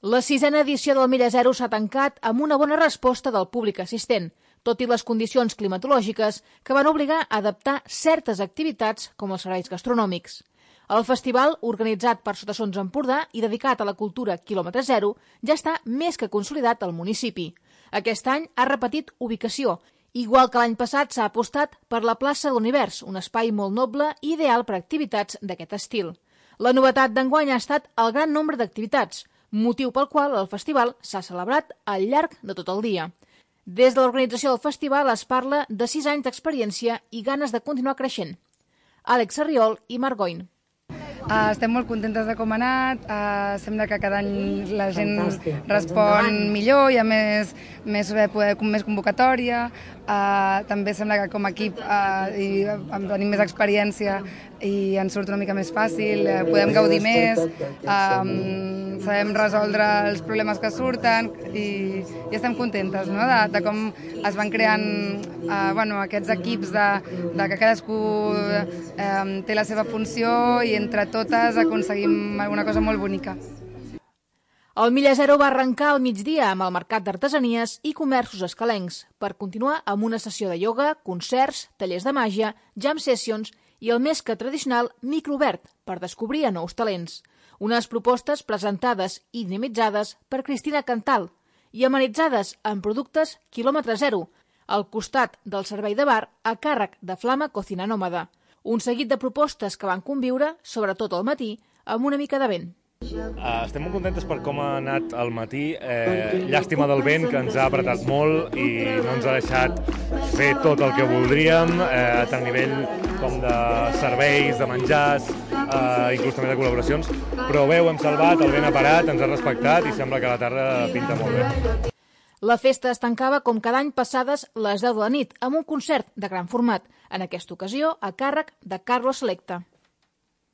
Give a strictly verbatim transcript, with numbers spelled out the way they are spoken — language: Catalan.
La sisena edició del Milla Zero s'ha tancat amb una bona resposta del públic assistent, tot i les condicions climatològiques que van obligar a adaptar certes activitats com els serveis gastronòmics. El festival, organitzat per Sotassons Empordà i dedicat a la cultura quilòmetre zero, ja està més que consolidat al municipi. Aquest any ha repetit ubicació. Igual que l'any passat s'ha apostat per la plaça de l'Univers, un espai molt noble i ideal per a activitats d'aquest estil. La novetat d'enguany ha estat el gran nombre d'activitats, motiu pel qual el festival s'ha celebrat al llarg de tot el dia. Des de l'organització del festival es parla de sis anys d'experiència i ganes de continuar creixent. Àlex Sarriol i Marc Goin. Uh, estem molt contentes de com ha anat, uh, sembla que cada any la gent Fantàstic. respon millor, hi ha més, més, poder, més convocatòria, uh, també sembla que com a equip uh, i, tenim més experiència i ens surt una mica més fàcil, uh, podem gaudir més, um, sabem resoldre els problemes que surten i, i estem contentes, no?, de, de com es van creant uh, bueno, aquests equips de, de que cadascú um, té la seva funció i entre totes aconseguim alguna cosa molt bonica. El Milla Zero va arrencar al migdia amb el mercat d'artesanies i comerços escalencs per continuar amb una sessió de ioga, concerts, tallers de màgia, jam sessions i el més que tradicional microobert per descobrir a nous talents. Unes propostes presentades i dinamitzades per Cristina Cantal i amenitzades amb productes quilòmetre zero, al costat del servei de bar a càrrec de Flama Cocina Nòmada. Un seguit de propostes que van conviure, sobretot al matí, amb una mica de vent. Uh, estem molt contentes per com ha anat el matí. Eh, llàstima del vent, que ens ha apretat molt i no ens ha deixat fer tot el que voldríem, eh, tant a nivell com de serveis, de menjars, eh, inclús també de col·laboracions. Però bé, ho hem salvat, el vent ha parat, ens ha respectat i sembla que la tarda pinta molt bé. La festa es tancava com cada any passades les deu de la nit amb un concert de gran format, en aquesta ocasió a càrrec de Carlos Selecta.